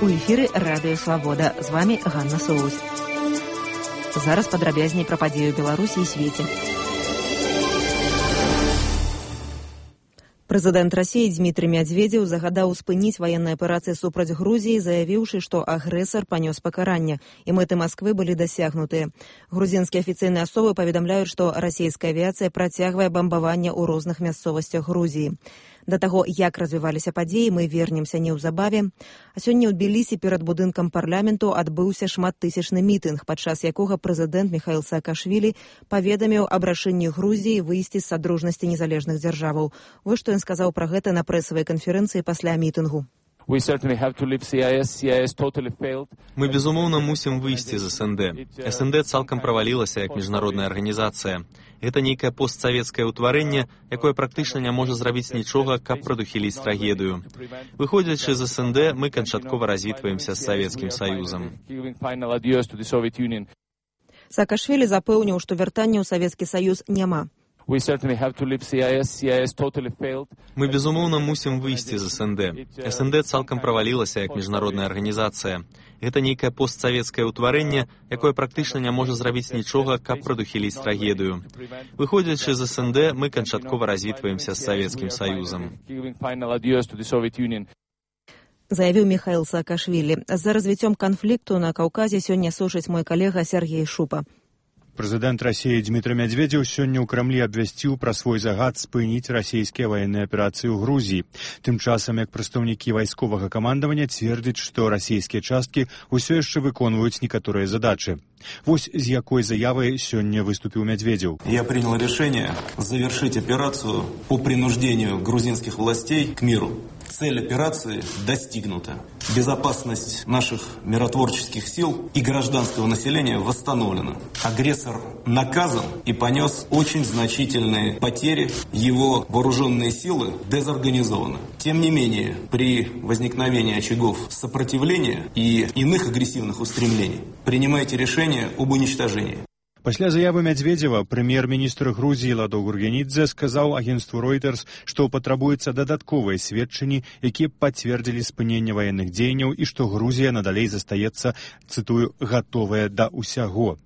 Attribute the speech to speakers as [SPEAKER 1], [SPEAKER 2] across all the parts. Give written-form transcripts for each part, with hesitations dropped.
[SPEAKER 1] У эфіры Радыё Свабода. З вами Ганна Соусь. Зараз падрабязней пра падзею Беларусі і свеце. Прэзідэнт Расіі Дмітрый Медведзеў загадаў спыніць ваенныя аперацыі супраць Грузіі, заявіўшы, што агрэсар панёс пакаранне, і мэты Масквы былі дасягнутыя. Грузінскія афіцыйныя асобы паведамляюць, што расійская авіяцыя працягвае бамбаванне ў розных мясцовасцях Грузіі. Да таго, як развіваліся падзеі, мы вернемся неўзабаве. А сёння ў Тбілісі перад будынкам парламенту адбыўся шматтысячны мітынг, падчас якога прэзідэнт Міхаіл Саакашвілі паведаміў аб рашэнні Грузіі выйсці з садружнасці незалежных дзяржаваў. Вось што ён сказаў пра гэта на прэсавай канферэнцыі пасля мітынгу.
[SPEAKER 2] Мы, безумоўна, мусім выйсці з СНД. СНД цалкам правалілася як міжнародная арганізацыя. Гэта нейкае постсавецкае ўтварэнне, якое практычна не можа зрабіць нічога, каб прадухіліць трагедыю. Выходзячы з СНД, мы канчаткова развітваемся з Савецкім Саюзам.
[SPEAKER 1] Саакашвілі запэўніў, што вяртання ў Савецкі Саюз няма.
[SPEAKER 2] Мы, безумоўна, мусім выйсці з СНД. СНД цалкам правалілася як міжнародная арганізацыя. Гэта нейкае постсавецкае ўтварэнне, якое практычна не можа зрабіць нічога, каб прадухіліць трагедыю. Выходзячы з СНД, мы канчаткова развітваемся з Савецкім Саюзам.
[SPEAKER 1] Заявіў Міхаіл Саакашвілі. За развіццём канфлікту на Каўказе сёння сушыць мой калега Сергей Шупа.
[SPEAKER 3] Прэзідэнт Расіі Дмітрый Медведзеў сёння ў Крамлі абвясціў пра свой загад спыніць расійскія ваенныя аперацыі ў Грузіі. Тым часам, як прадстаўнікі вайсковага камандавання цвердзяць, што расійскія часткі ўсё яшчэ выконваюць некаторыя задачы. Вось з якой заявай сёння выступіў Медведзеў.
[SPEAKER 4] Я принял решение завершить операцию по принуждению грузинских властей к миру. Цель операции достигнута. Безопасность наших миротворческих сил и гражданского населения восстановлена. Агрессор наказан и понес очень значительные потери. Его вооруженные силы дезорганизованы. Тем не менее, при возникновении очагов сопротивления и иных агрессивных устремлений принимайте решение об уничтожении.
[SPEAKER 3] Пасля заявы Медведзева прэм'ер-міністр Грузіі Ладо Гургенідзе сказаў агенцтву Reuters, што патрабуюцца дадатковыя сведчанні, якія пацвердзілі спыненне ваенных дзеянняў і што Грузія надалей застаецца, цытую, гатовая да ўсяго.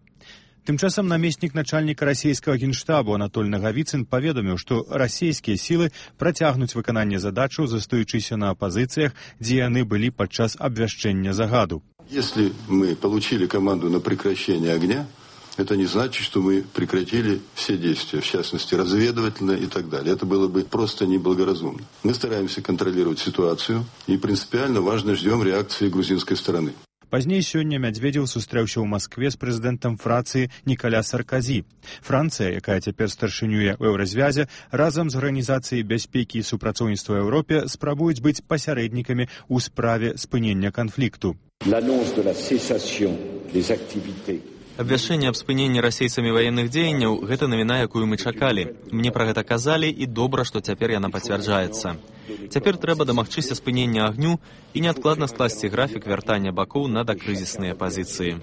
[SPEAKER 3] Тым часам намеснік начальніка расійскага генштабу Анатоль Нагавіцын паведаміў, што расійскія сілы працягнуць выкананне задачаў, застаючыся на пазіцыях, дзе яны былі падчас абвяшчэння загаду.
[SPEAKER 5] Если мы получили команду на прекращение огня, это не значит, что мы прекратили все действия, в частности, разведывательные и так далее. Это было бы просто неблагоразумно. Мы стараемся контролировать ситуацию и принципиально важно ждем реакции грузинской стороны.
[SPEAKER 3] Пазней сёння Медведзеў сустрэўся ў Маскве з прэзідэнтам Францыі Нікаля Сарказі. Францыя, якая цяпер старшынюе ў Еўразвязе, разам з Арганізацыяй бяспекі і супрацоўніцтва ў Еўропе спрабуюць быць пасярэднікамі ў справе спынення канфлікту.
[SPEAKER 2] Абвяшчэнне аб спыненні расейцамі ваенных дзеянняў – гэта навіна, якую мы чакалі. Мне пра гэта казалі, і добра, што цяпер яна пацвярджаецца. Цяпер трэба дамагчыся спынення агню і неадкладна скласці графік вяртання бакоў на дакрызісныя пазіцыі.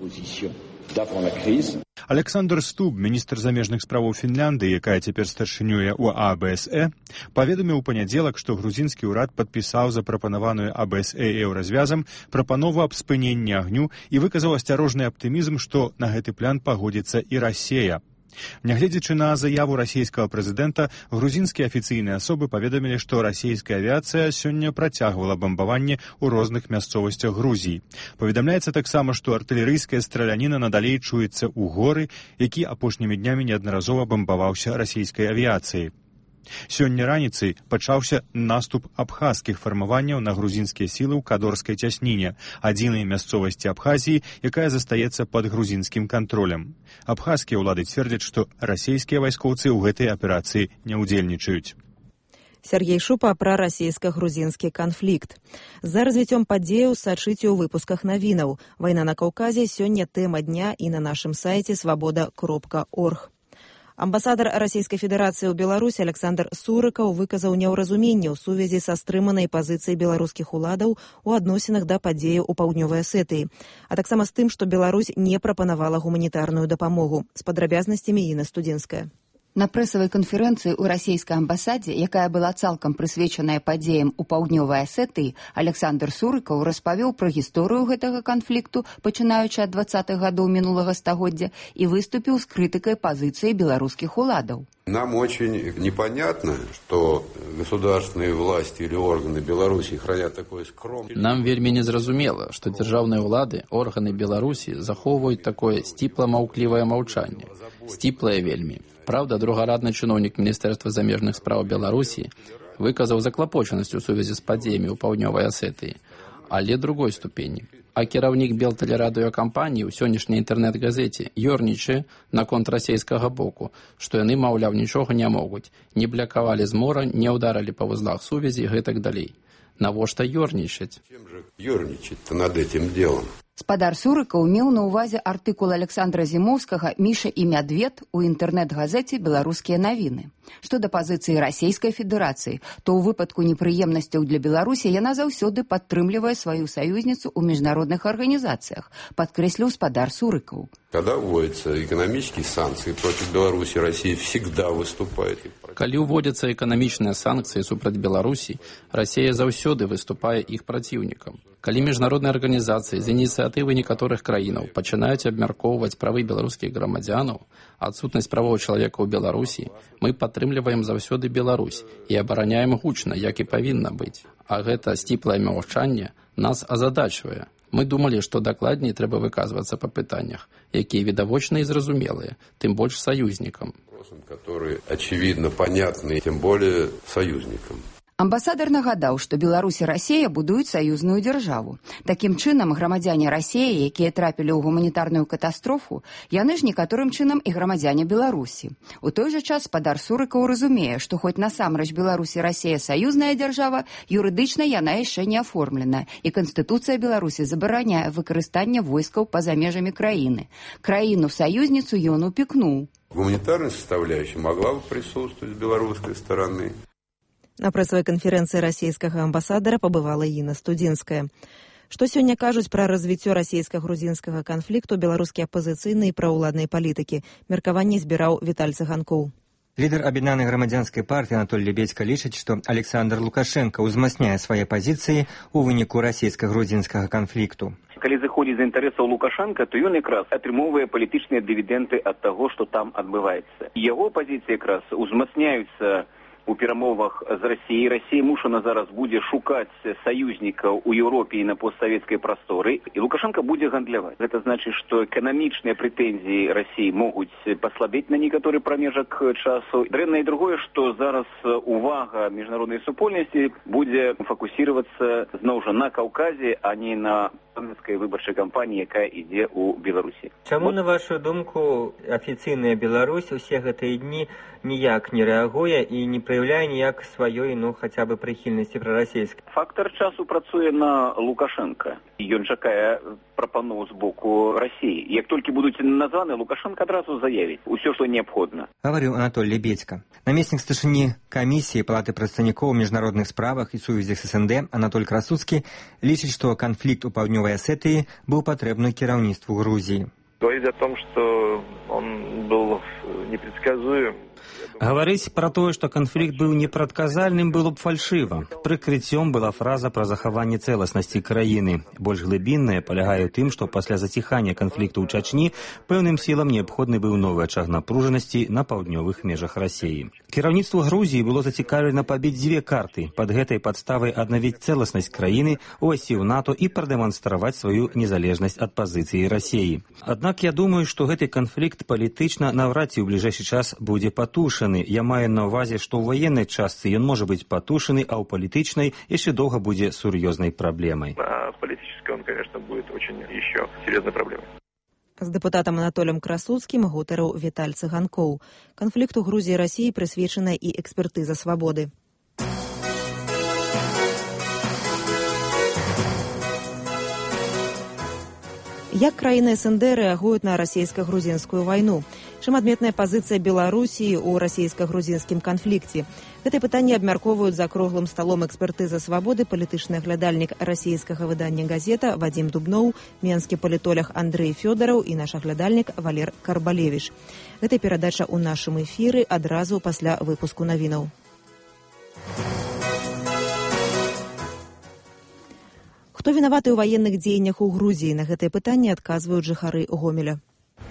[SPEAKER 3] Александр Стуб, міністр замежных справаў Фінляндыі, якая цяпер старшынюе ў АБСЭ, паведаміў у панядзелак, што грузінскі ўрад падпісаў запрапанаваную АБСЭ і Еўразвязам прапанову аб спыненні агню і выказаў асцярожны аптымізм, што на гэты план пагодзіцца і Расія. Нягледзячы на заяву расійскага прэзідэнта, грузінскія афіцыйныя асобы паведамілі, што расійская авіяцыя сёння працягвала бамбаванне ў розных мясцовасцях Грузіі. Паведамляецца таксама, што артылерыйская страляніна надалей чуецца ў горы, які апошнімі днямі неаднаразова бамбаваўся расійскай авіяцыяй. Сёння раніцай пачаўся наступ абхазскіх фармаванняў на грузінскія сілы ў Кадорскай цясніне, адзінай мясцовасці Абхазіі, якая застаецца пад грузінскім кантролем. Абхазскія ўлады цвердзяць, што расійскія вайскоўцы ў гэтай аперацыі не ўдзельнічаюць.
[SPEAKER 1] Сергей Шупа пра расійска-грузінскі канфлікт. За развіццём падзеяў сачыце ў выпусках навінаў. Вайна на Каўказе сёння тэма дня і на нашым сайце свабода.орг. Амбасадар Расійскай Федэрацыі ў Беларусі Александр Сурыкаў выказаў неўразуменне ў сувязі са стрыманай пазіцыяй беларускіх уладаў у адносінах да падзеяў у Паўднёвай Асетыі, а таксама з тым, што Беларусь не прапанавала гуманітарную дапамогу. З падрабязнасцямі Інна Студзенская.
[SPEAKER 6] На прэсавай канферэнцыі ў расійскай амбасадзе, якая была цалкам прысвечаная падзеям у паўднёвай Асетыі, Александр Сурыкаў распавёў пра гісторыю гэтага канфлікту, пачынаючы ад 20-х гадоў мінулага стагоддзя, і выступіў з крытыкай пазіцыі беларускіх уладаў.
[SPEAKER 7] Нам очень непонятно, что государственные власти или органы Беларуси хранят такое скромное...
[SPEAKER 8] Нам вельмі незразумела, што дзяржаўныя ўлады, органы Беларусі захоўваюць такое сціпла-маўклівае маўчанне. Сціплае вельмі. Праўда, другарадны чыноўнік Міністэрства замежных спраў Беларусі выказаў заклапочанасць у сувязі з падзеямі ў паўднёвай Асетыі, але другой ступені. А кіраўнік Белтэлерадыёкампаніі ў сённяшняй інтэрнэт-газеце ёрнічае наконт расейскага боку, што яны, маўляў, нічога не могуць, не блякавалі з мора, не ўдарылі па вузлах сувязі і гэтак далей. Навошта ёрнічаць?
[SPEAKER 7] Чем же ёрничать-то над этим делом?
[SPEAKER 6] Спадар Сурыкаў меў на ўвазе артыкул Александра Зімоўскага «Міша і мядвед» у інтэрнэт-газеце «Беларускія навіны». Што да пазіцыі Расійскай Федэрацыі, то ў выпадку непрыемнасцяў для Беларусі яна заўсёды падтрымлівае сваю саюзніцу ў міжнародных арганізацыях, падкрэсліў спадар Сурыкаў.
[SPEAKER 7] Когда вводятся экономические санкции против Беларуси, Россия всегда выступает.
[SPEAKER 8] Калі ўводзяцца эканамічныя санкцыі супраць Беларусі, Расія заўсёды выступае іх праціўнікам. Калі міжнародныя арганізацыі з ініцыятывы некаторых краінаў пачынаюць абмяркоўваць правы беларускіх грамадзянаў, адсутнасць правоў чалавека ў Беларусі, мы падтрымліваем заўсёды Беларусь і абараняем гучна, як і павінна быць. А гэта сціплае маўчанне нас азадачвае. Мы думалі, што дакладней трэба выказвацца па пытаннях, якія відавочна і зразумелыя, тым больш саюзнікам.
[SPEAKER 7] Которые очевидно понятны, тем более союзникам.
[SPEAKER 6] Амбасадар нагадаў, што Беларусь і Расія будуюць саюзную дзяржаву. Такім чынам, грамадзяне Расіі, якія трапілі ў гуманітарную катастрофу, яны ж некаторым чынам і грамадзяне Беларусі. У той жа час спадар Сурыкаў разумее, што хоць насамрэч Беларусь і Расія саюзная дзяржава, юрыдычна яна яшчэ не аформлена, і Канстытуцыя Беларусі забараняе выкарыстанне войскаў па-за межамі краіны. Краіну-саюзніцу ён упікнуў.
[SPEAKER 7] Гуманитарная составляющая могла бы присутствовать с белорусской стороны.
[SPEAKER 1] На прэсавай канферэнцыі расійскага амбасадара пабывала Інна Студзінская. Што сёння кажуць пра развіццё расійска-грузінскага канфлікту беларускія апазіцыйныя і праўладныя палітыкі? Меркаванне збіраў Віталь Цыганкоў.
[SPEAKER 9] Лідар аб'яднанай грамадзянскай партыі Анатоль Лебедзька лічыць, што Александр Лукашенко ўзмацняе свае пазіцыі ў выніку расійска-грузінскага канфлікту.
[SPEAKER 10] Калі зыходзіць з інтарэсаў Лукашенка, то ён якраз атрымоўвае палітычныя дывідэнды ад таго, што там адбываецца. Яго пазіцыі якраз узмацняюцца у перамовах з Расіяй. Расія мушана зараз будзе шукаць саюзнікаў у Еўропе і на постсавецкай прасторы, і Лукашенко будзе гандляваць. Гэта значыць, што эканамічныя прэтэнзіі Расіі могуць паслабець на некаторы прамежак часу. Дрэнна і другое, што зараз увага міжнароднай супольнасці будзе фокусироваться зноў жа на Каўказе, а не на парламенцкай выбарчай кампаніі, якая ідзе ў Беларусі.
[SPEAKER 11] Чаму, на вашу думку, афіцыйная Беларусь усе гэтыя дні ніяк не рэагуе і не праяўляе ніяк сваёй, хаця бы прыхільнасці прарасійскай?
[SPEAKER 10] Фактар часу працуе на Лукашенка. Ён чакае прапаноў з боку Расіі. Як толькі будуць названы, Лукашенко адразу заявіць усё, што неабходна.
[SPEAKER 9] Гаварыў Анатоль Лебедзька. Намеснік старшыні камісіі Палаты прадстаўнікоў у міжнародных справах і сувязях з СНД Анатоль Красуцкі лічыць, што канфлікт у паўднёвай Асетыі быў патрэбны кіраўніцтву Грузіі.
[SPEAKER 12] Говорить о том, что он был непредсказуем.
[SPEAKER 13] Гаварыць пра тое, што канфлікт быў непрадказальным, было б фальшыва. Прыкрыццём была фраза пра захаванне цэласнасці краіны. Больш глыбінная палягае ў тым, што пасля заціхання канфлікту ў Чачні пэўным сілам неабходны быў новы ачаг напружанасці на паўднёвых межах Расіі. Кіраўніцтву Грузіі было зацікаўлена пабіць дзве карты. Пад гэтай падставай аднавіць цэласнасць краіны, увайсці ў НАТО і прадэманстраваць сваю незалежнасць ад пазіцыі Расіі. Аднак я думаю, што гэты канфлікт палітычна наўрад ці ў бліжэйшы час будзе патушаны. Я маю на ўвазе, што ў ваеннай частцы ён можа быць патушаны, а ў палітычнай яшчэ доўга будзе сур'ёзнай праблемай.
[SPEAKER 12] А политической он, конечно, будет очень еще серьезной проблемой.
[SPEAKER 1] З дэпутатам Анатолем Красуцкім гутарыў Віталь Цыганкоў. Канфлікту Грузіі і Расіі прысвечана і экспертыза свабоды. Як краіны СНД рэагуюць на расійска-грузінскую вайну? Чым адметная пазіцыя Беларусі ў расійска-грузінскім канфлікце? Гэтае пытанне абмяркоўваюць за круглым сталом экспертыза свабоды палітычны аглядальнік расійскага выдання «Газета» Вадзім Дубноў, менскі палітолог Андрэй Фёдараў і наш аглядальнік Валер Карбалевіч. Гэта перадача ў нашым эфіры адразу пасля выпуску навінаў. Хто вінаваты ў ваенных дзеяннях у Грузіі? На гэтае пытанне адказваюць жыхары Гомеля.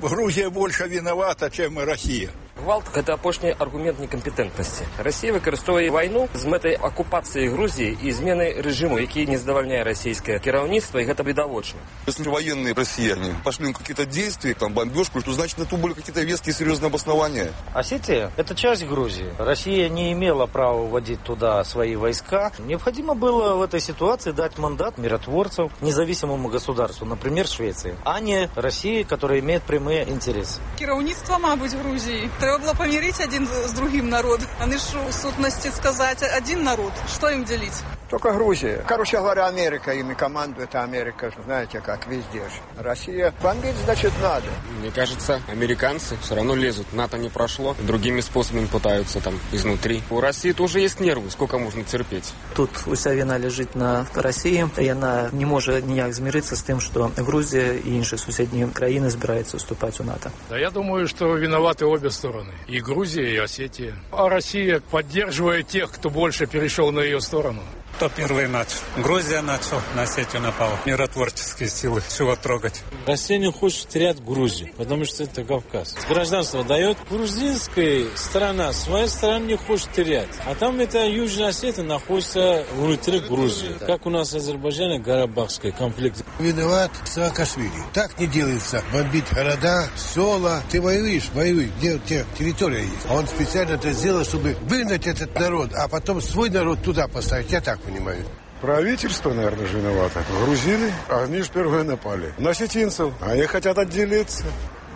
[SPEAKER 14] Грузия больше виновата, чем Россия.
[SPEAKER 15] Гвалт – это апошні аргумент некомпетентності. Росія використовує війну з метою окупації Грузії і зміни режиму, який не задовольняє російське керівництво, і це відавочно.
[SPEAKER 16] Если военные россияне пошли на какие-то действия, там бомбежку, то значит на то были какие-то веские серьезные обоснования.
[SPEAKER 17] Осетия – это часть Грузии. Россия не имела права вводить туда свои войска. Необходимо было в этой ситуации дать мандат миротворцев независимому государству, например, Швеции, а не России, которая имеет прямые интересы.
[SPEAKER 18] Керівництво, мабуть, Грузії. Треба було помирити один з другим народом. Вони ж у сутності сказати один народ. Що їм ділити?
[SPEAKER 19] Только Грузия. Короче говоря, Америка ими командует, а Америка, знаете, как везде же. Россия бомбить, значит, надо.
[SPEAKER 20] Мне кажется, американцы все равно лезут. НАТО не прошло, другими способами пытаются там изнутри. У России тоже есть нервы, сколько можно терпеть.
[SPEAKER 21] Тут уся вина лежит на России, и она не может ніяк змириться с тем, что Грузия и інші сусідні країни збираються вступать у НАТО.
[SPEAKER 22] Да, я думаю, что виноваты обе стороны. И Грузия, и Осетия. А Россия поддерживает тех, кто больше перешел на ее сторону.
[SPEAKER 23] Кто первый начал? Грузия начал, на Осетию напала. Миротворческие силы, чего трогать?
[SPEAKER 24] Россия не хочет терять Грузию, потому что это Кавказ. Гражданство дает. Грузинская сторона свою страну не хочет терять. А там это Южная Осетия находится внутри Грузии. Как у нас в Азербайджане Карабахский конфликт.
[SPEAKER 25] Виноват Саакашвили. Так не делается. Бомбить города, села. Ты воюешь, где у тебя территория есть. А он специально это сделал, чтобы выгнать этот народ, а потом свой народ туда поставить. Я так понимаю.
[SPEAKER 26] Правительство, наверное, же виновато. Грузины, они же первые напали. На осетинцев. Они хотят отделиться.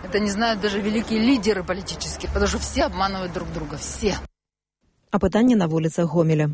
[SPEAKER 27] Это не знают даже великие лидеры политические, потому что все обманывают друг друга. Все.
[SPEAKER 1] А пытанне на вуліцах Гомеля.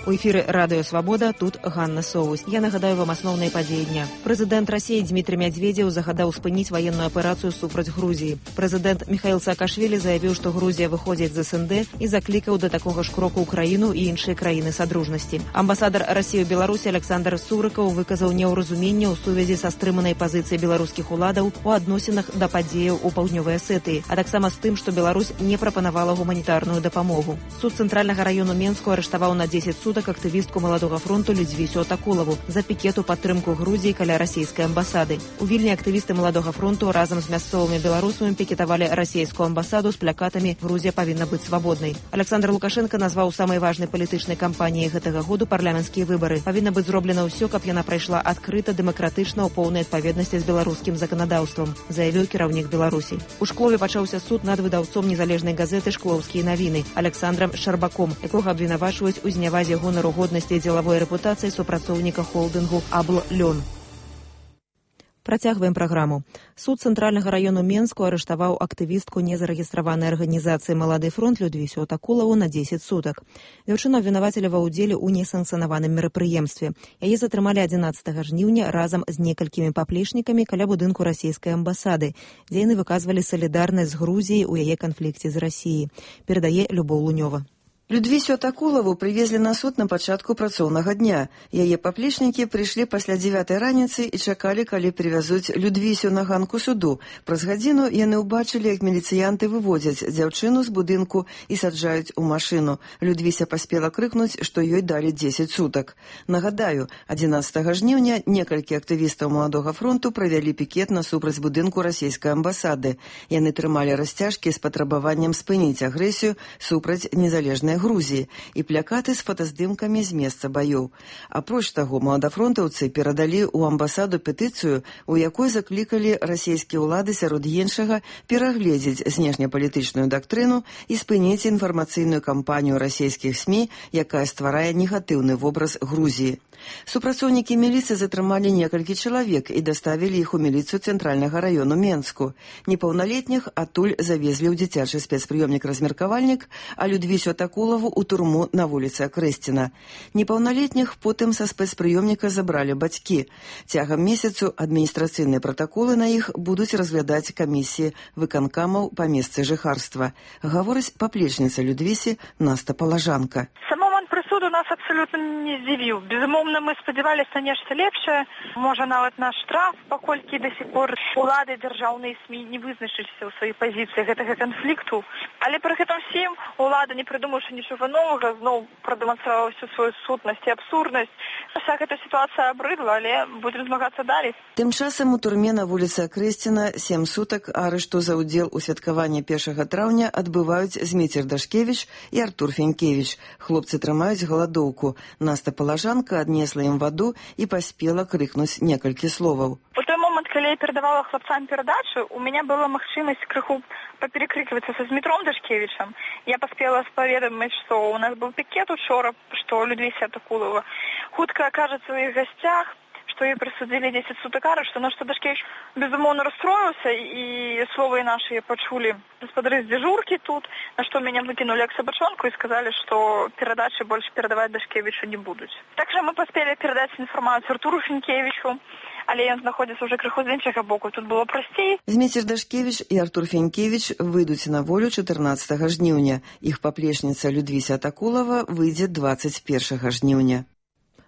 [SPEAKER 1] У эфіры Радыё Свабода, тут Ганна Соус. Я нагадаю вам асноўныя падзеі дня. Прэзідэнт Расіі Дмітрый Мядзведзеў загадаў спыніць ваенную аперацыю супраць Грузіі. Прэзідэнт Михаил Саакашвили заявіў, што Грузія выходзіць з СНД і заклікаў да такога ж кроку ўкраіну і іншыя краіны садружнасці. Амбасадар Расіі ў Беларусі Александр Сурыкаў выказаў неўразуменне ў сувязі са стрыманай пазіцыяй беларускіх уладаў у адносінах да падзеяў у паўднёвай Асетыі, а таксама з тым, што Беларусь не прапанавала гуманітарную дапамогу. Суд цэнтральнага раёну Менску арыштаваў на 10 сутак актывістку Маладога фронту Людзівісю Атакулаву за пікет у падтрымку Грузіі каля расійскай амбасады. У Вільні актывісты Маладога фронту разам з мясцовымі беларусамі пікетавалі расійскую амбасаду з плакатамі «Грузія павінна быць свабоднай». Александр Лукашенко назваў самай важнай палітычнай кампаніяй гэтага году парламенцкія выбары. Павінна быць зроблена ўсё, каб яна прайшла адкрыта, дэмакратычна, у поўнай адпаведнасці з беларускім заканадаўствам, заявіў кіраўнік Беларусі. У Шклове пачаўся суд над выдаўцом незалежнай газеты «Шклоўскія навіны» Александром Шарбаком, якога абвінавачваюць у знявазе гонару годнасці і дзелавой рэпутацыі супрацоўніка холдынгу «Абл-Лён». Працягваем праграму. Суд цэнтральнага раёну Менску арыштаваў актывістку незарэгістраванай арганізацыі «Малады фронт» Людвісю Атакулаву на 10 сутак. Дзяўчыну абвінавацілі ва ўдзеле ў несанкцыянаваным мерапрыемстве. Яе затрымалі 11 жніўня разам з некалькімі паплечнікамі каля будынку расійскай амбасады, дзе яны выказвалі салідарнасць з Грузіяй у яе канфлікце з Расіяй. Перадае Любоў Лунёва.
[SPEAKER 28] Людвісю Атакулаву привезли на суд на пачатку працоўнага дня. Яе паплечнікі прыйшлі пасля 9 раніцы і чакалі, калі привязуць Людвісю на ганку суду. Праз гадзіну яны ўбачылі, як міліцыянты выводзяць дзяўчыну з будынку і саджаюць у машыну. Людвіся паспела крыкнуць, што ёй далі 10 сутак. Нагадаю, 11 жніўня некалькі актывістаў Маладога фронту правялі пікет насупраць будынку расійскай амбасады. Яны трымалі расцяжкі з патрабаваннем спыніць агрэсію супраць незалежнай Грузіі і плакаты з фотаздымкамі з месца баёў. Апроч таго, маладафронтаўцы перадалі ў амбасаду петыцыю, у якой заклікалі расійскія ўлады сярод іншага перагледзець знешнепалітычную дактрыну і спыніць інфармацыйную кампанію расійскіх СМІ, якая стварае негатыўны вобраз Грузіі. Супрацоўнікі міліцыі затрымалі некалькі чалавек і даставілі іх у міліцыю цэнтральнага раёну Менску. Непаўналетніх адтуль завезлі ў дзіцячы спецпрыёмнік-размеркавальнік, а Людвісю Атакулаву ў турму на вуліцы Акрэсціна. Непаўналетніх потым са спецпрыёмніка забралі бацькі. Цягам месяцу адміністрацыйныя пратаколы на іх будуць разглядаць камісіі выканкамаў па месцы жыхарства. Гаворыць паплечніца Людвісі Наста Палажанка.
[SPEAKER 29] Самому прысуду
[SPEAKER 2] нас абсолютно не здзівіў. Безумоўна, мы спадзяваліся нешта лепшае, можа нават на штраф, паколькі да сих пор улады дзяржаўныя СМІ не вызначыліся ў сваёй пазіцыі гэтага канфлікту. Але пры гэтым всім улада, не прыдумаўшы нічога новага, зноў прадэманстравала всю сваю сутнасць і абсурднасць. Уся гэта сітуацыя абрыдла, але будзем змагацца далей.
[SPEAKER 28] Тым часам у турме на вуліцы Акрэсціна 7 сутак арышту за ўдзел у святкаванні 1 траўня адбываюць Зміцер Дашкевіч і Артур Фенькевіч. Хлопцы трымаюць галадоўку. Наста Палажанка аднесла ім ваду і паспела крыкнуць некалькі словаў.
[SPEAKER 2] У той момант, калі я перадавала хлопцам перадачу, у меня была магчымасць крыху паперекрыквацца са Змітром Дашкевічам. Я паспела спаведаміць, што у нас быў пікет учора, што Людвіся Атакулова хутка акажацца ў іх гасцях, што ёй прысудзілі 10 сутак арышту, на што Дашкевіч безумоўна расстроіўся, і словы нашы пачулі гаспадары з дзяжуркі тут, на што мяне выкінулі як сабачонку і сказалі, што перадачы больш перадаваць Дашкевічу не будуць. Так жа мы паспелі перадаць інфармацыю Артуру Фенькевічу, але ён знаходзіцца ўжо крыху з іншага боку, тут было прасцей.
[SPEAKER 28] Зміцер Дашкевіч і Артур Фенькевіч выйдуць на волю 14 жніўня. Іх паплечніца Людвіся Атакулова выйдзе 21 жніўня.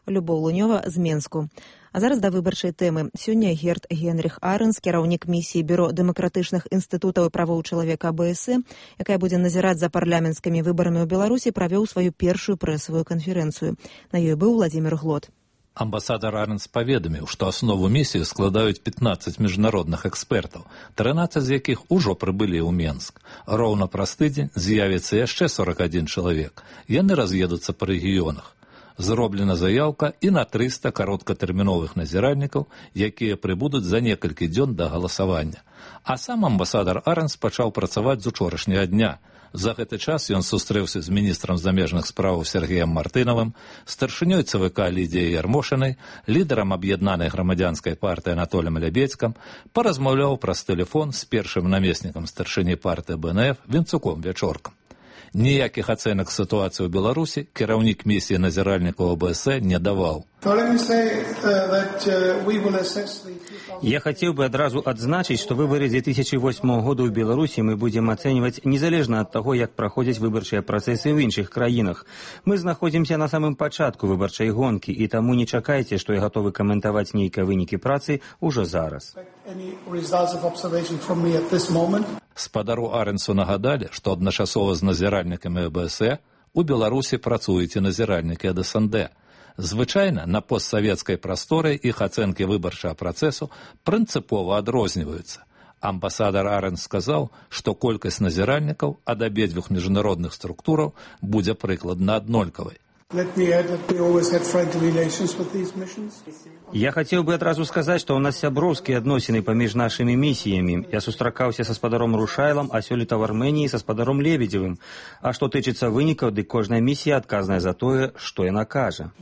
[SPEAKER 1] Любоў Лунёва з Менску. А зараз да выбарчай тэмы. Сёння Герт Генріх Арэнс, кіраўнік місіі Бюро дэмакратычных інстытутаў і правоў чалавека АБС, якая будзе назіраць за парламенцкімі выбарамі ў Беларусі, правёў сваю першую прэсавую канферэнцыю. На ёй быў Владзімір Глот.
[SPEAKER 3] Амбасадар Арэнс паведаміў, што аснову місіі складаюць 15 міжнародных экспертаў, 13 з якіх ужо прыбылі ў Менск. Роўна праз тыдзень з'явіцца яшчэ 41 чалавек. Яны раз'едуцца па рэгіёнах. Зроблена заяўка і на 300 кароткатэрміновых назіральнікаў, якія прыбудуць за некалькі дзён да галасавання. А сам амбасадар Арэнс пачаў працаваць з учорашняга дня. За гэты час ён сустрэўся з міністрам замежных спраў Сергеем Мартынавым, старшынёй ЦВК Лідіяй Ярмошынай, лідарам аб'яднанай грамадзянскай партыі Анатолем Лябедзькам, паразмаўляў праз тэлефон з першым намеснікам старшыні партыі БНФ Венцуком Вячоркам. Ніякіх ацэнак сітуацыі ў Беларусі кіраўнік місіі назіральнікаў АБС не даваў.
[SPEAKER 13] Я хацеў бы адразу адзначыць, што выбары 2008 года ў Беларусі мы будзем ацэньваць незалежна ад таго, як праходзяць выбарчыя працэсы ў іншых краінах. Мы знаходзімся на самым пачатку выбарчай гонкі, і таму не чакайце, што я гатовы каментаваць нейкія вынікі працы ўжо зараз.
[SPEAKER 3] Спадару Арэнсу нагадалі, што адначасова з назіральнікамі АБС у Беларусі працуюць і назіральнікі ад СНД. Звычайна на постсавецкай прасторы іх ацэнкі выбарчага працэсу прынцыпова адрозніваюцца. Амбасадар Арэнс сказаў, што колькасць назіральнікаў ад абедзвюх міжнародных структураў будзе прыкладна аднолькавай.
[SPEAKER 13] Я хацеў бы адразу сказаць, што ў нас сяброўскія адносіны паміж нашымі місіямі. Я сустракаўся са спадаром Рушайлам, а сёлета ў Арменіі са спадаром Лебедзевым. А што тычыцца вынікаў, дык кожная місія адказная за тое, што яна кажа.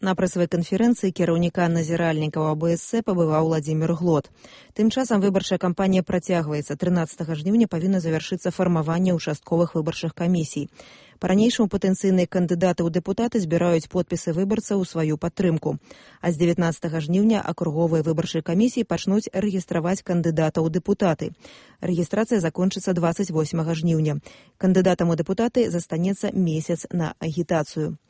[SPEAKER 1] На прэсавай канферэнцыі кіраўніка назіральнікаў АБС пабываў Владзімір Глот. Тым часам выбарчая кампанія працягваецца. 13 жніўня павінна завяршыцца фармаванне ўчастковых выбарчых камісій. Па-ранейшаму патэнцыйныя кандыдаты ў дэпутаты збіраюць подпісы выбарцаў у сваю падтрымку. А з 19 жніўня акруговыя выбарчыя камісіі пачнуць рэгістраваць кандыдатаў у дэпутаты. Рэгістрацыя закончыцца 28 жніўня. Кандыдатам у дэпутаты застанецца месяц на агітацыю.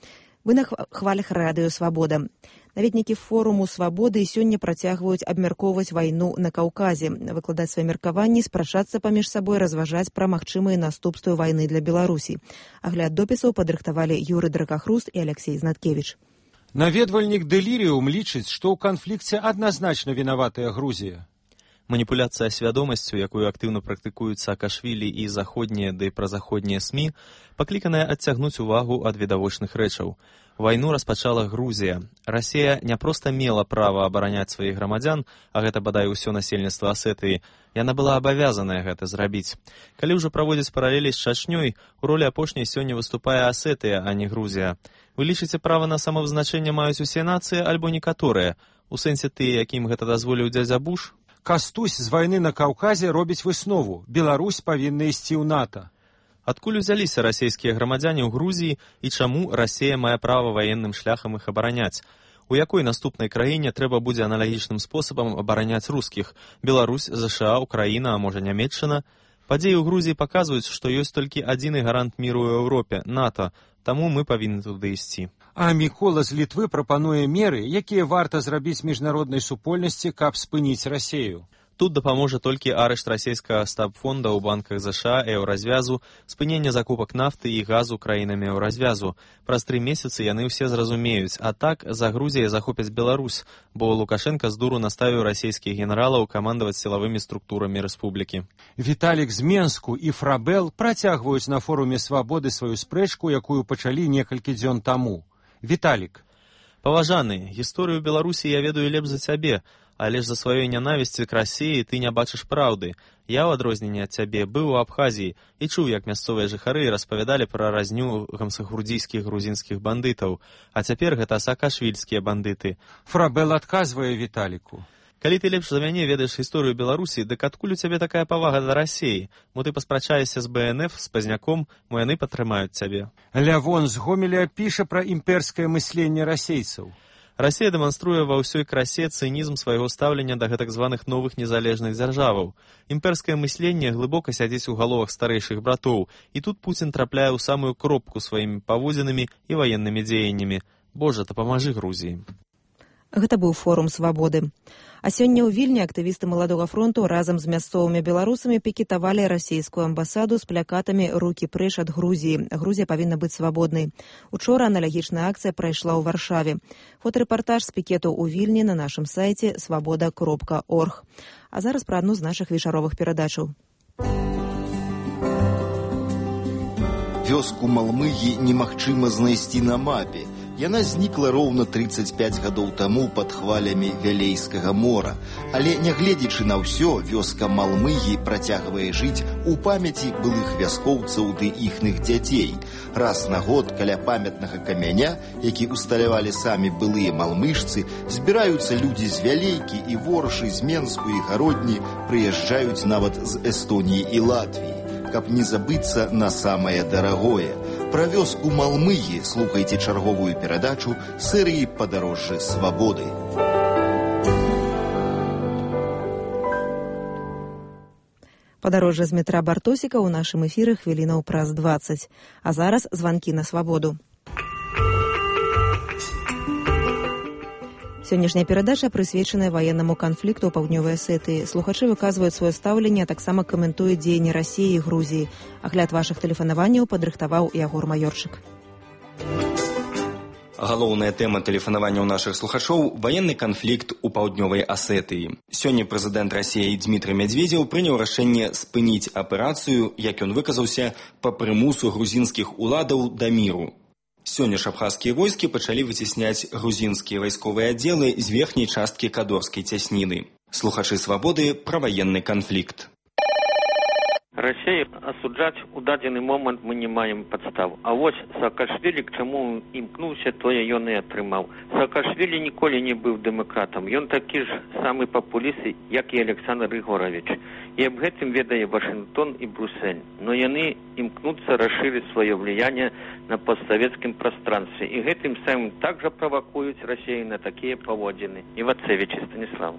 [SPEAKER 1] Вы на хвалях радыё «Свабода». Наведнікі форуму «Свабоды» сёння працягваюць абмяркоўваць вайну на Каўказе, выкладаць свае меркаванні, спрачацца паміж сабой, разважаць пра магчымыя наступствы вайны для Беларусі. Агляд допісаў падрыхтавалі Юры Дракахруст і Алексей Знаткевіч.
[SPEAKER 4] Наведвальнік Дэліріум лічыць, што ў канфлікце адназначна вінаватая Грузія.
[SPEAKER 5] Маніпуляцыя свядомасцю, якую актыўна практыкуюць Саакашвілі і заходнія ды празаходнія СМІ, пакліканая адцягнуць увагу ад відавочных рэчаў. Вайну распачала Грузія. Расія не проста мела права абараняць сваіх грамадзян, а гэта бадай усё насельніцтва Асетыі. Яна была абавязаная гэта зрабіць. Калі ўжо праводзіць паралелі з Чачнёй, у ролі апошняй сёння выступае Асетыя, а не Грузія. Вы лічыце, права на самавызначэнне маюць усе нацыі альбо некаторыя? У сэнсе тыя, якім гэта дазволіў дзядзя Буш?
[SPEAKER 4] Кастусь з вайны на Каўказе робіць выснову. Беларусь павінна ісці ў НАТО.
[SPEAKER 5] Адкуль узяліся расійскія грамадзяне ў Грузіі і чаму Расія мае права ваенным шляхам іх абараняць? У якой наступнай краіне трэба будзе аналагічным спосабам абараняць рускіх? Беларусь, ЗША, Украіна, а можа Нямецчына? Падзеі ў Грузіі паказваюць, што ёсць толькі адзіны гарант міру ў Еўропе – НАТО, таму мы павінны туды ісці.
[SPEAKER 4] А Мікола з Літвы прапануе меры, якія варта зрабіць міжнароднай супольнасці, каб спыніць Расею.
[SPEAKER 5] Тут дапаможа толькі арышт расійскага стабфонда ў банках ЗША, еўразвязу, спыненне закупак нафты і газу краінамі еўразвязу. Праз 3 месяцы яны ўсе зразумеюць, а так за Грузіяй захопяць Беларусь, бо Лукашенка з дуру наставіў расійскіх генералаў камандаваць сілавымі структурамі рэспублікі.
[SPEAKER 4] Віталік з Менску і Фрабел працягваюць на форуме «Свабоды» сваю спрэчку, якую пачалі некалькі дзён таму. Віталік.
[SPEAKER 5] Паважаны, гісторыю Беларусі я ведаю лепш за цябе, але ж за сваёй нянавісці к Расіі ты не бачыш праўды. Я, ў адрозненне ад цябе, быў у Абхазіі і чуў, як мясцовыя жыхары распавядалі пра разню гамсахурдзійскіх грузінскіх бандытаў, а цяпер гэта саакашвільскія бандыты.
[SPEAKER 4] Фрабел адказвае Віталіку.
[SPEAKER 5] Калі ты лепш за мяне ведаеш гісторыю Беларусі, дык адкуль у цябе такая павага да Расіі? Мо ты паспрачаешся з БНФ, з Пазняком, мо яны падтрымаюць цябе.
[SPEAKER 4] Лявон з Гомеля піша пра імперскае мысленне расейцаў.
[SPEAKER 5] Расія дэманструе ва ўсёй красе цынізм свайго стаўлення да гэтак званых новых незалежных дзяржаваў. Імперскае мысленне глыбока сядзіць у галовах старэйшых братоў, і тут Пуцін трапляе ў самую кропку сваімі паводзінамі і ваеннымі дзеяннямі. Божа, дапамажы Грузіі.
[SPEAKER 1] Гэта быў форум «Свабоды». А сёння ў Вільні актывісты Маладога фронту разам з мясцовымі беларусамі пікетавалі расійскую амбасаду з плакатамі «Рукі прэч ад Грузіі». Грузія павінна быць свабоднай. Учора аналагічная акцыя прайшла ў Варшаве. Фотарэпартаж з пікету ў Вільні на нашым сайце свабода.орг. А зараз пра адну з нашых вечаровых перадачаў.
[SPEAKER 6] Вёску Малмыгі немагчыма знайсці на мапе. Яна знікла роўна 35 гадоў таму пад хвалямі Вялейскага мора. Але, нягледзячы на ўсё, вёска Малмыгі працягвае жыць у памяці былых вяскоўцаў ды іхных дзяцей. Раз на год каля памятнага камяня, які усталявалі самі былыя малмыжцы, збіраюцца людзі з Вялейкі і Воршы, з Менску і Гародні, прыязджаюць нават з Эстоніі і Латвіі, каб не забыцца на самае дарагое. Пра вёску Малмыгі слухайце чарговую перадачу серыі «Падарожжа свабоды».
[SPEAKER 1] Падарожжа з метра Бартосіка ў нашым эфіры хвілінаў праз 20. А зараз званкі на свабоду. Сённяшняя перадача прысвечаная ваеннаму канфлікту ў паўднёвай Асетыі. Слухачы выказваюць сваё стаўленне, а таксама каментуюць дзеянні Расіі і Грузіі. Агляд вашых тэлефанаванняў падрыхтаваў Ягор Маёрчык.
[SPEAKER 7] Галоўная тэма тэлефанавання ў нашых слухачоў – ваенны канфлікт у паўднёвай Асетыі. Сёння прэзідэнт Расіі Дмітрый Медведзеў прыняў рашэнне спыніць аперацыю, як ён выказаўся, па прымусу грузінскіх уладаў да міру. Сёння ж абхазскія войскі пачалі выцісняць грузінскія вайсковыя аддзелы з верхняй часткі Кадорскай цясніны. Слухачы свабоды пра ваенны канфлікт.
[SPEAKER 8] Россию осуждать у дадзены момент мы не маем подстав. А вот Саакашвили к чему імкнуўся, тое ён і атрымаў. Саакашвили ніколі не быў дэмакратам. Ён такі ж самы папуліст, як і Александр Григорович. І аб гэтым ведае Вашингтон і Брюссель. Но яны імкнуцца расширить свое влияние на постсоветском пространстве. И гэтым самым также провокуюць Россию на такие поводзіны. Івацевич Станислав.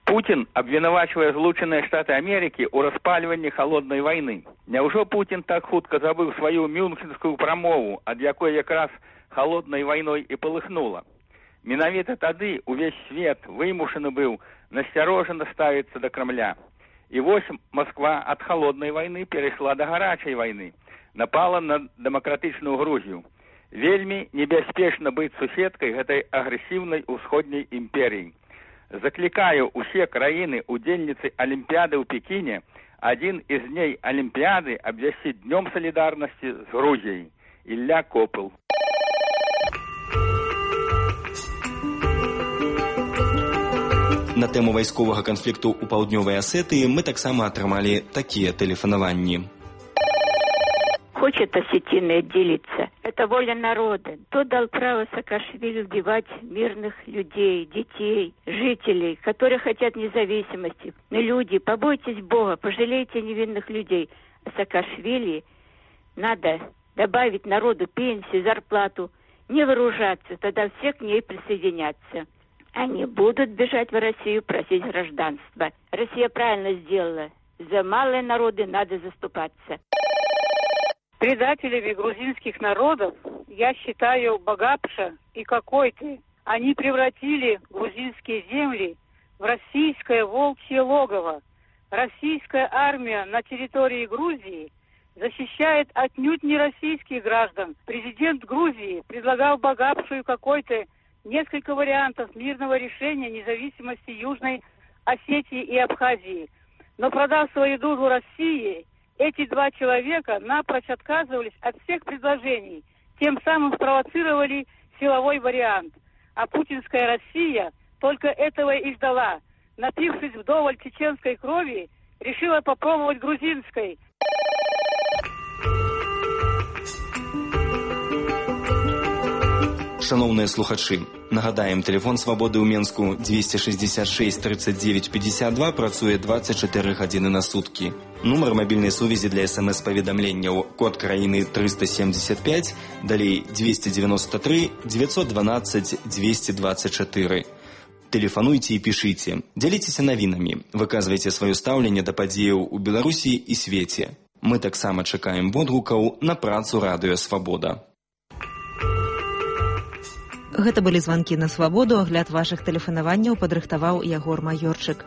[SPEAKER 9] Путин обвинувачивает Злученные Штаты Америки у распаливания холодной войны. Няўжо Путин так хутка забыл свою мюнхенскую прамову, ад якой якраз холодной войной и полыхнула? Менавіта тады увесь свет вымушаны быў насцярожана ставіцца до Кремля. И вось Москва от холодной войны перешла до горячей войны, напала на демократичную Грузию. Вельмі небяспечна быць суседкай гэтай агрэсіўнай усходняй імперіі. Закликаю усе краіны удзельніцы Олимпиады в Пекине один из дней Олимпиады обвясціць днем солидарности с Грузией. Ілля Копыл.
[SPEAKER 7] На тэму вайсковага канфлікту ў паўднёвай Асетыі мы таксама атрымалі такія тэлефанаванні.
[SPEAKER 10] Хочет осетины отделиться. Это воля народа. Кто дал право Саакашвили убивать мирных людей, детей, жителей, которые хотят независимости? Но люди, побойтесь Бога, пожалейте невинных людей. А Саакашвили надо добавить народу пенсию, зарплату, не вооружаться, тогда все к ней присоединятся. Они будут бежать в Россию, просить гражданства. Россия правильно сделала. За малые народы надо заступаться.
[SPEAKER 11] Предателями грузинских народов я считаю Багапша и Кокойты. Они превратили грузинские земли в российское волчье логово. Российская армия на территории Грузии защищает отнюдь не российских граждан. Президент Грузии предлагал Багапшу и Кокойты несколько вариантов мирного решения независимости Южной Осетии и Абхазии. Но продав свою душу России, эти два человека напрочь отказывались от всех предложений, тем самым спровоцировали силовой вариант. А путинская Россия только этого и ждала. Напившись вдоволь чеченской крови, решила попробовать грузинской.
[SPEAKER 7] Шановныя слухачы, нагадаем, тэлефон свабоды ў Менску 266 39 52 працуе 24 гадзіны на суткі. Нумар мабільнай сувязі для СМС-паведамленняў код краіны 375, далей 293 912 224. Тэлефануйце і пішыце, дзяліцеся навінамі, выказвайце сваё стаўленне да падзеяў у Беларусі і свеце. Мы таксама чакаем водгукаў на працу радыё Свабода.
[SPEAKER 1] Гэта былі званкі на свабоду, агляд вашых тэлефанаванняў падрыхтаваў Ягор Маёрчык.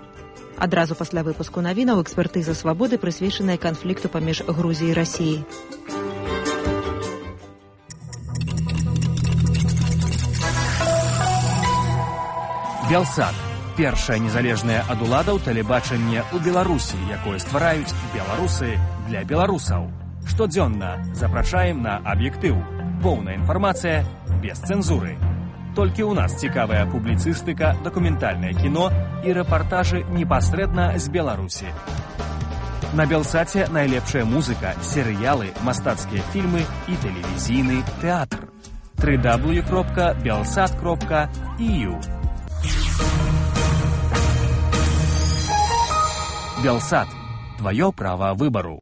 [SPEAKER 1] Адразу пасля выпуску навінаў экспертыза свабоды прысвечаная канфлікту паміж Грузіяй і Расіяй.
[SPEAKER 12] Белсат – першае незалежнае ад уладаў тэлебачанне ў Беларусі, якое ствараюць беларусы для беларусаў. Штодзённа запрашаем на аб'ектыў. Поўная інфармацыя без цэнзуры. Толькі ў нас цікавая публіцыстыка, дакументальнае кіно і рэпартажы непасрэдна з Беларусі. На Белсаце найлепшая музыка, серыялы, мастацкія фільмы і тэлевізійны тэатр. www.belsat.eu Белсат. Твоё право выбору.